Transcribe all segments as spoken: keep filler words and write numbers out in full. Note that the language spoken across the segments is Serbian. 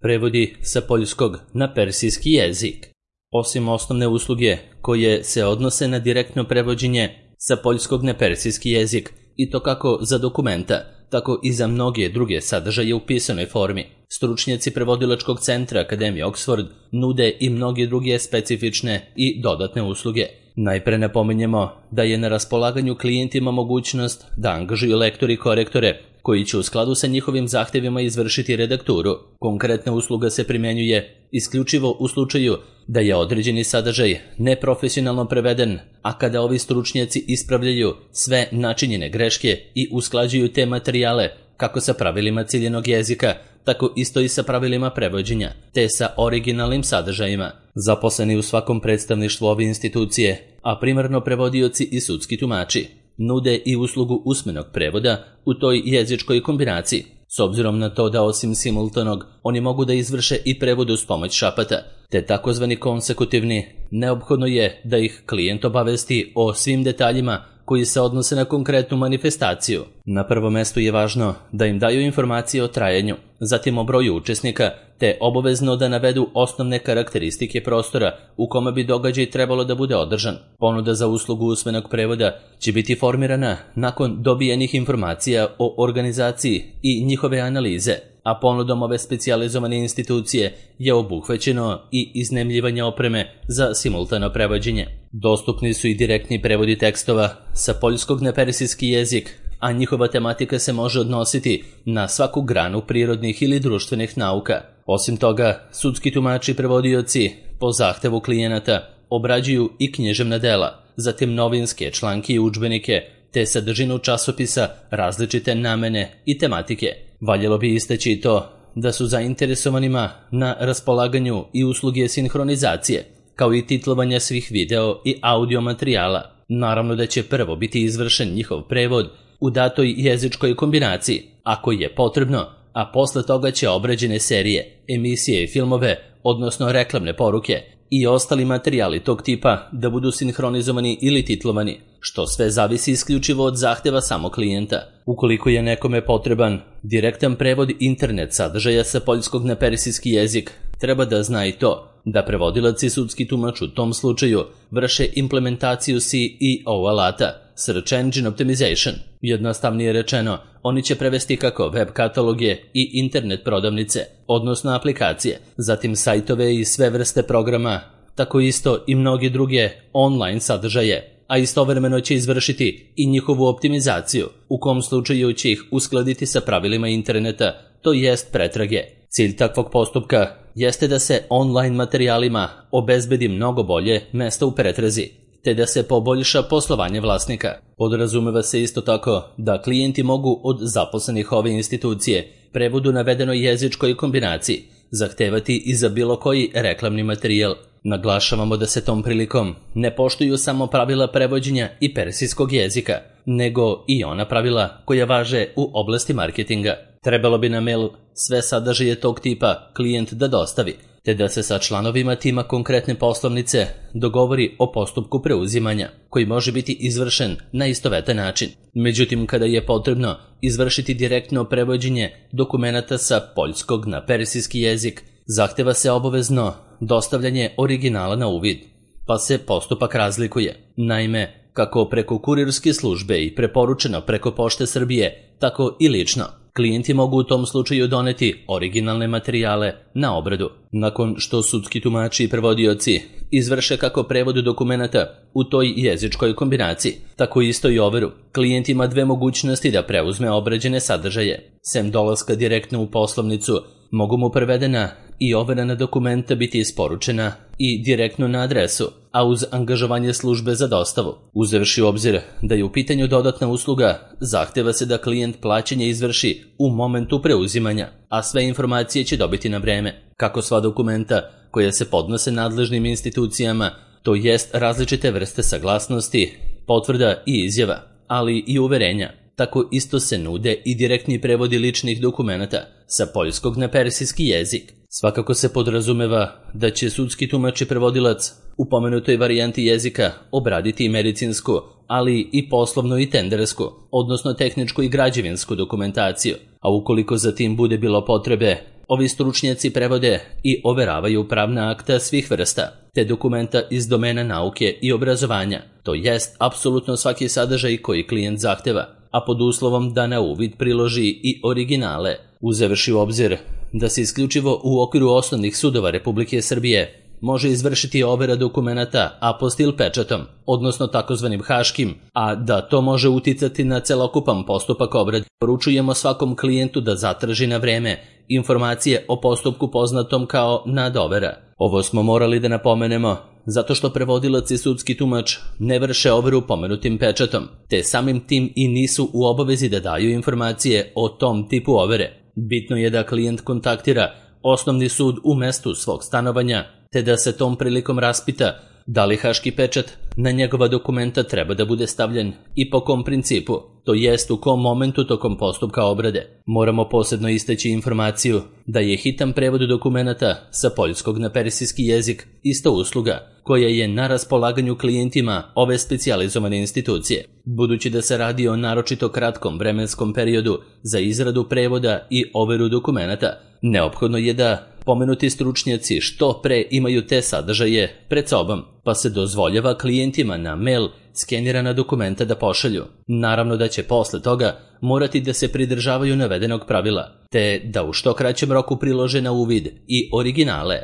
Prevodi sa poljskog na persijski jezik. Osim osnovne usluge koje se odnose na direktno prevođenje sa poljskog na persijski jezik, i to kako za dokumenta, tako i za mnoge druge sadržaje u pisanoj formi, stručnjaci prevodilačkog centra Akademije Oxford nude i mnoge druge specifične i dodatne usluge. Najpre napominjemo da je na raspolaganju klijentima mogućnost da angažuju lektori i korektore koji će u skladu sa njihovim zahtevima izvršiti redakturu. Konkretna usluga se primjenjuje isključivo u slučaju da je određeni sadržaj neprofesionalno preveden, a kada ovi stručnjaci ispravljaju sve načinjene greške i usklađuju te materijale kako sa pravilima ciljenog jezika, tako isto i sa pravilima prevođenja, te sa originalnim sadržajima. Zaposleni u svakom predstavništvu ove institucije, a primarno prevodioci i sudski tumači, nude i uslugu usmenog prevoda u toj jezičkoj kombinaciji, s obzirom na to da osim simultanog oni mogu da izvrše i prevod uz pomoć šapata, te takozvani konsekutivni. Neophodno je da ih klijent obavesti o svim detaljima koji se odnose na konkretnu manifestaciju. Na prvom mestu je važno da im daju informacije o trajanju, zatim o broju učesnika, te obavezno da navedu osnovne karakteristike prostora u kome bi događaj trebalo da bude održan. Ponuda za uslugu usmenog prevoda će biti formirana nakon dobijenih informacija o organizaciji i njihove analize, a ponudom ove specijalizovane institucije je obuhvaćeno i iznajmljivanje opreme za simultano prevođenje. Dostupni su i direktni prevodi tekstova sa poljskog na persijski jezik, a njihova tematika se može odnositi na svaku granu prirodnih ili društvenih nauka. Osim toga, sudski tumači i prevodioci po zahtevu klijenata obrađuju i književna dela, zatim novinske članke i udžbenike, te sadržinu časopisa različite namene i tematike. Valjalo bi istaći i to da su zainteresovanima na raspolaganju i usluge sinhronizacije, kao i titlovanja svih video i audio materijala. Naravno da će prvo biti izvršen njihov prevod u datoj jezičkoj kombinaciji, ako je potrebno, a posle toga će obrađene serije, emisije i filmove, odnosno reklamne poruke i ostali materijali tog tipa da budu sinhronizovani ili titlovani, što sve zavisi isključivo od zahteva samog klijenta. Ukoliko je nekome potreban direktan prevod internet sadržaja sa poljskog na persijski jezik, treba da zna i to da prevodilac i sudski tumač u tom slučaju vrše implementaciju C E O alata, Search Engine Optimization. Jednostavnije rečeno, oni će prevesti kako web kataloge i internet prodavnice, odnosno aplikacije, zatim sajtove i sve vrste programa, tako isto i mnoge druge online sadržaje, a istovremeno će izvršiti i njihovu optimizaciju, u kom slučaju će ih uskladiti sa pravilima interneta, to jest pretrage. Cilj takvog postupka jeste da se online materijalima obezbedi mnogo bolje mesto u pretrazi, te da se poboljša poslovanje vlasnika. Podrazumeva se isto tako da klijenti mogu od zaposlenih ove institucije prevod u navedenoj jezičkoj kombinaciji zahtevati i za bilo koji reklamni materijal. Naglašavamo da se tom prilikom ne poštuju samo pravila prevođenja i persijskog jezika, nego i ona pravila koja važe u oblasti marketinga. Trebalo bi na mail sve sadržaje tog tipa klijent da dostavi, te da se sa članovima tima konkretne poslovnice dogovori o postupku preuzimanja, koji može biti izvršen na istovetan način. Međutim, kada je potrebno izvršiti direktno prevođenje dokumenata sa poljskog na persijski jezik, zahteva se obavezno dostavljanje originala na uvid, pa se postupak razlikuje. Naime, kako preko kurirske službe i preporučeno preko Pošte Srbije, tako i lično, klijenti mogu u tom slučaju doneti originalne materijale na obradu. Nakon što sudski tumači i prevodioci izvrše kako prevod dokumenata u toj jezičkoj kombinaciji, tako isto i overu, klijent ima dve mogućnosti da preuzme obrađene sadržaje. Sem dolaska direktno u poslovnicu, mogu mu prevedena i overena dokumenta biti isporučena i direktno na adresu, a uz angažovanje službe za dostavu. Uzevši u obzir da je u pitanju dodatna usluga, zahteva se da klijent plaćanje izvrši u momentu preuzimanja, a sve informacije će dobiti na vreme. Kako sva dokumenta koja se podnose nadležnim institucijama, to jest različite vrste saglasnosti, potvrda i izjava, ali i uverenja, tako isto se nude i direktni prevodi ličnih dokumenata sa poljskog na persijski jezik. Svakako se podrazumeva da će sudski tumač i prevodilac u pomenutoj varijanti jezika obraditi i medicinsku, ali i poslovnu i tendersku, odnosno tehničku i građevinsku dokumentaciju, a ukoliko za tim bude bilo potrebe, Ovi stručnjaci prevode i overavaju pravna akta svih vrsta, te dokumenta iz domena nauke i obrazovanja, to jest apsolutno svaki sadržaj koji klijent zahteva, a pod uslovom da na uvid priloži i originale, uzevši u obzir da se isključivo u okviru osnovnih sudova Republike Srbije može izvršiti overa dokumenata apostil pečatom, odnosno takozvanim haškim, a da to može uticati na celokupan postupak obrade. Poručujemo svakom klijentu da zatraži na vreme informacije o postupku poznatom kao nadovera. Ovo smo morali da napomenemo zato što prevodilac i sudski tumač ne vrše overu pomenutim pečatom, te samim tim i nisu u obavezi da daju informacije o tom tipu overe. Bitno je da klijent kontaktira osnovni sud u mestu svog stanovanja, te da se tom prilikom raspita da li haški pečat na njegova dokumenta treba da bude stavljen i po kom principu, to jest u kom momentu tokom postupka obrade. Moramo posebno istaći informaciju da je hitan prevod dokumenata sa poljskog na persijski jezik ista usluga koja je na raspolaganju klijentima ove specijalizovane institucije. Budući da se radi o naročito kratkom vremenskom periodu za izradu prevoda i overu dokumenata, neophodno je da pomenuti stručnjaci što pre imaju te sadržaje pred sobom, pa se dozvoljava klijentima na mail skenirana dokumenta da pošalju. Naravno da će posle toga morati da se pridržavaju navedenog pravila, te da u što kraćem roku prilože na uvid i originale.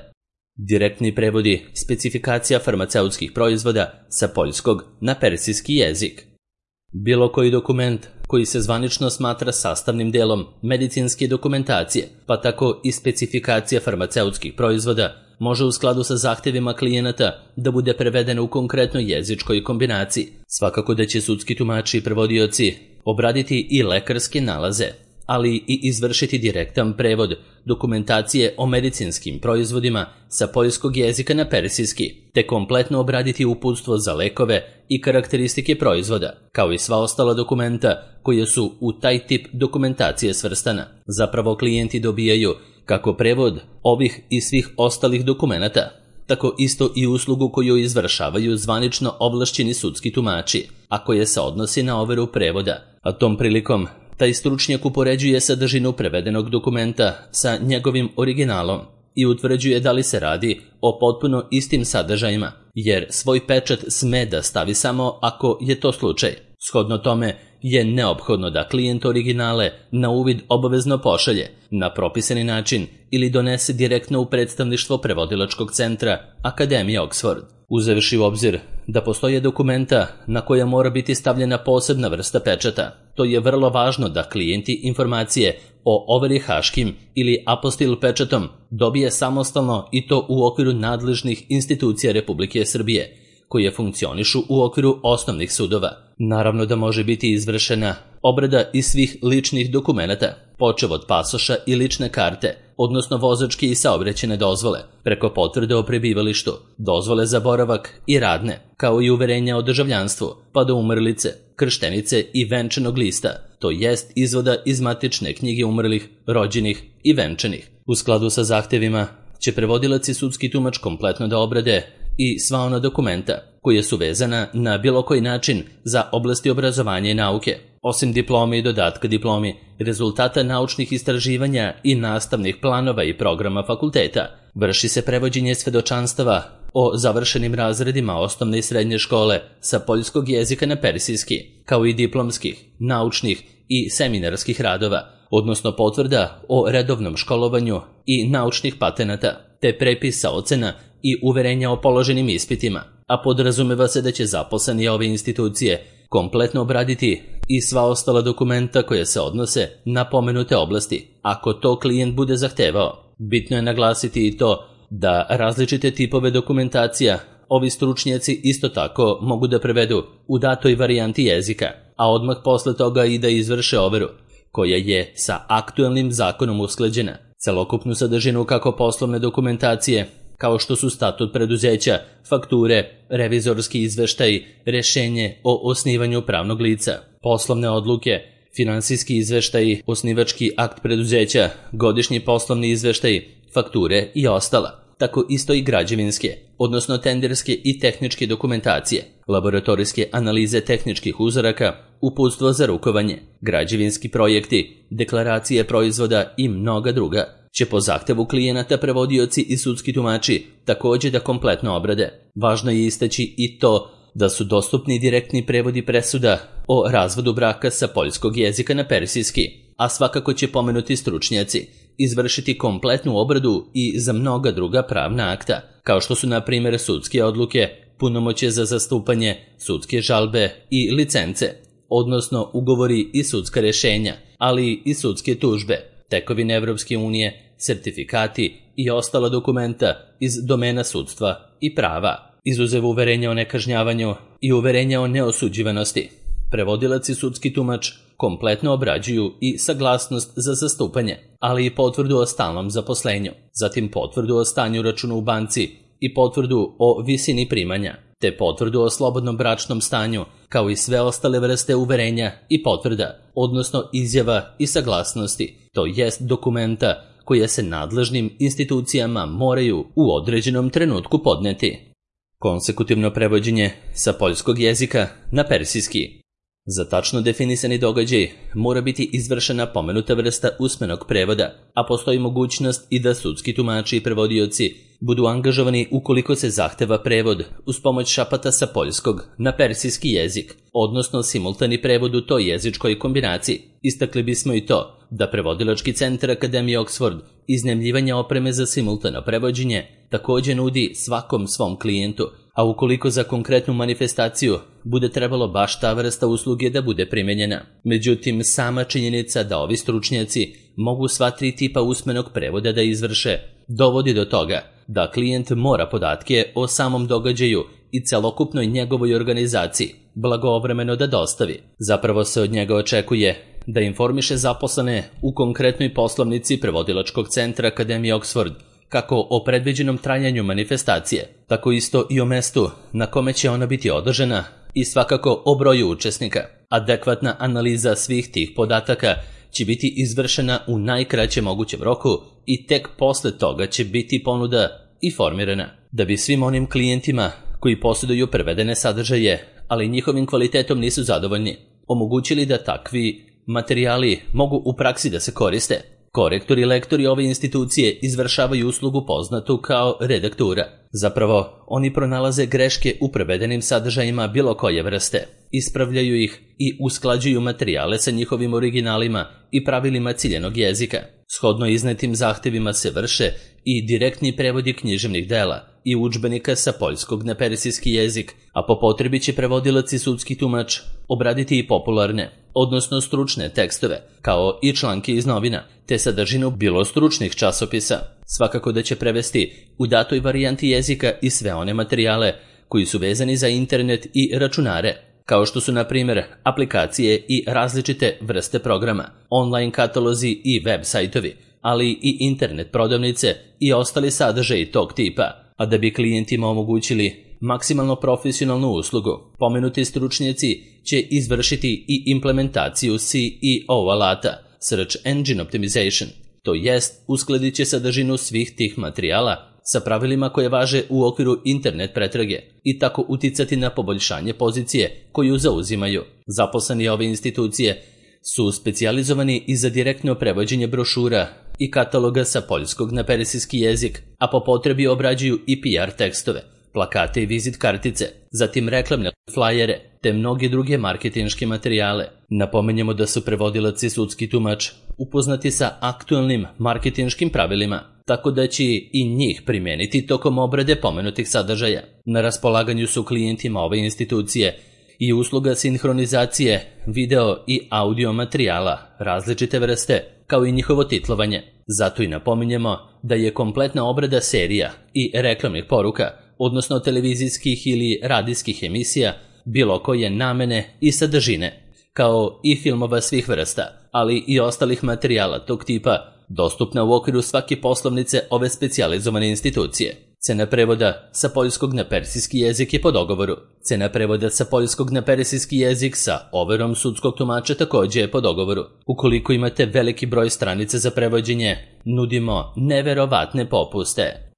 Direktni prevodi specifikacija farmaceutskih proizvoda sa poljskog na persijski jezik. Bilo koji dokument koji se zvanično smatra sastavnim delom medicinske dokumentacije, pa tako i specifikacija farmaceutskih proizvoda, može u skladu sa zahtevima klijenata da bude prevedena u konkretnoj jezičkoj kombinaciji. Svakako da će sudski tumači i prevodioci obraditi i lekarske nalaze, ali i izvršiti direktan prevod dokumentacije o medicinskim proizvodima sa poljskog jezika na persijski, te kompletno obraditi uputstvo za lekove i karakteristike proizvoda, kao i sva ostala dokumenta koje su u taj tip dokumentacije svrstana. Zapravo klijenti dobijaju kako prevod ovih i svih ostalih dokumenata, tako isto i uslugu koju izvršavaju zvanično ovlašćeni sudski tumači, a koje se odnosi na overu prevoda, a tom prilikom taj stručnjak upoređuje sadržinu prevedenog dokumenta sa njegovim originalom i utvrđuje da li se radi o potpuno istim sadržajima, jer svoj pečat sme da stavi samo ako je to slučaj. Shodno tome je neophodno da klijent originale na uvid obavezno pošalje na propisani način ili donese direktno u predstavništvo prevodilačkog centra Akademije Oxford. Uzevši u obzir da postoje dokumenta na koja mora biti stavljena posebna vrsta pečata, to je vrlo važno da klijenti informacije o overi haškim ili apostil pečatom dobije samostalno i to u okviru nadležnih institucija Republike Srbije, koje funkcionišu u okviru osnovnih sudova. Naravno da može biti izvršena obrada iz svih ličnih dokumenata, počev od pasoša i lične karte, odnosno vozačke i saobraćajne dozvole, preko potvrde o prebivalištu, dozvole za boravak i radne, kao i uverenja o državljanstvu, pa do umrlice, krštenice i venčanog lista, to jest izvoda iz matične knjige umrlih, rođenih i venčanih. U skladu sa zahtevima će prevodilac i sudski tumač kompletno da obrade i sva ona dokumenta koje su vezana na bilo koji način za oblasti obrazovanja i nauke, osim diplome i dodatka diplomi, rezultata naučnih istraživanja i nastavnih planova i programa fakulteta. Vrši se prevođenje svedočanstava o završenim razredima osnovne i srednje škole sa poljskog jezika na persijski, kao i diplomskih, naučnih i seminarskih radova, odnosno potvrda o redovnom školovanju i naučnih patenata, te prepisa ocena i uverenja o položenim ispitima, a podrazumeva se da će zaposleni ove institucije kompletno obraditi i sva ostala dokumenta koje se odnose na pomenute oblasti, ako to klijent bude zahtevao. Bitno je naglasiti i to da različite tipove dokumentacija ovi stručnjaci isto tako mogu da prevedu u datoj varijanti jezika, a odmah posle toga i da izvrše overu, koja je sa aktuelnim zakonom usklađena. Celokupnu sadržinu kako poslovne dokumentacije, kao što su statut preduzeća, fakture, revizorski izveštaj, rešenje o osnivanju pravnog lica, poslovne odluke, finansijski izveštaj, osnivački akt preduzeća, godišnji poslovni izveštaj, fakture i ostala. Tako isto i građevinske, odnosno tenderske i tehničke dokumentacije, laboratorijske analize tehničkih uzoraka, uputstvo za rukovanje, građevinski projekti, deklaracije proizvoda i mnoga druga. će po zahtevu klijenata prevodioci i sudski tumači također da kompletno obrade. Važno je istaći i to da su dostupni direktni prevodi presuda o razvodu braka sa poljskog jezika na persijski, a svakako će pomenuti stručnjaci izvršiti kompletnu obradu i za mnoga druga pravna akta, kao što su na primjer sudske odluke, punomoćje za zastupanje, sudske žalbe i licence, odnosno ugovori i sudska rješenja, ali i sudske tužbe, tekovine Evropske unije, sertifikati i ostala dokumenta iz domena sudstva i prava, izuzev uverenja o nekažnjavanju i uverenja o neosuđivanosti. Prevodilac i sudski tumač kompletno obrađuju i saglasnost za zastupanje, ali i potvrdu o stalnom zaposlenju, zatim potvrdu o stanju računa u banci i potvrdu o visini primanja, te potvrdu o slobodnom bračnom stanju, kao i sve ostale vrste uverenja i potvrda, odnosno izjava i saglasnosti, to jest dokumenta koje se nadležnim institucijama moraju u određenom trenutku podneti. Konsekutivno prevođenje sa poljskog jezika na persijski. Za tačno definisani događaj mora biti izvršena pomenuta vrsta usmenog prevoda, a postoji mogućnost i da sudski tumači i prevodioci budu angažovani ukoliko se zahteva prevod uz pomoć šapata sa poljskog na persijski jezik, odnosno simultani prevod u toj jezičkoj kombinaciji. Istakli bismo i to da prevodilački centar Akademije Oxford iznajmljivanja opreme za simultano prevođenje također nudi svakom svom klijentu, a ukoliko za konkretnu manifestaciju bude trebalo baš ta vrsta usluge da bude primenjena. Međutim, sama činjenica da ovi stručnjaci mogu sva tri tipa usmenog prevoda da izvrše, dovodi do toga da klijent mora podatke o samom događaju i celokupnoj njegovoj organizaciji blagovremeno da dostavi. Zapravo se od njega očekuje da informiše zaposlene u konkretnoj poslovnici prevodilačkog centra Akademije Oxford kako o predviđenom trajanju manifestacije, tako isto i o mestu na kome će ona biti održana i svakako o broju učesnika. Adekvatna analiza svih tih podataka će biti izvršena u najkraćem mogućem roku i tek posle toga će biti ponuda i formirana. Da bi svim onim klijentima koji posjeduju prevedene sadržaje, ali njihovim kvalitetom nisu zadovoljni, omogućili da takvi materijali mogu u praksi da se koriste, korektori i lektori ove institucije izvršavaju uslugu poznatu kao redaktura. Zapravo, oni pronalaze greške u prevedenim sadržajima bilo koje vrste, ispravljaju ih i usklađuju materijale sa njihovim originalima i pravilima ciljenog jezika. Shodno iznetim zahtevima se vrše i direktni prevodi književnih dela i udžbenika sa poljskog na persijski jezik, a po potrebi će prevodilac i sudski tumač obraditi i popularne, odnosno stručne tekstove, kao i članke iz novina, te sadržinu bilo stručnih časopisa. Svakako da će prevesti u datoj varijanti jezika i sve one materijale koji su vezani za internet i računare, kao što su na primjer aplikacije i različite vrste programa, online katalozi i web sajtovi, ali i internet prodavnice i ostali sadržaji tog tipa. A da bi klijentima omogućili maksimalno profesionalnu uslugu, pomenuti stručnjaci će izvršiti i implementaciju C E O alata, Search Engine Optimization, to jest uskladit će sadržinu svih tih materijala sa pravilima koje važe u okviru internet pretrage i tako uticati na poboljšanje pozicije koju zauzimaju. Zaposleni ove institucije su specijalizovani i za direktno prevođenje brošura i kataloga sa poljskog na persijski jezik, a po potrebi obrađuju i P R tekstove, plakate i vizit kartice, zatim reklamne flajere, te mnoge druge marketinške materijale. Napomenjemo da su prevodilac i sudski tumač upoznati sa aktualnim marketinškim pravilima, tako da će i njih primijeniti tokom obrade pomenutih sadržaja. Na raspolaganju su klijentima ove institucije i usluga sinhronizacije video i audio materijala različite vrste, kao i njihovo titlovanje. Zato i napominjemo da je kompletna obrada serija i reklamnih poruka, odnosno televizijskih ili radijskih emisija, bilo koje namene i sadržine, kao i filmova svih vrsta, ali i ostalih materijala tog tipa, dostupna u okviru svake poslovnice ove specijalizovane institucije. Cena prevoda sa poljskog na persijski jezik je po dogovoru. Cena prevoda sa poljskog na persijski jezik sa overom sudskog tumača također je po dogovoru. Ukoliko imate veliki broj stranica za prevođenje, nudimo neverovatne popuste.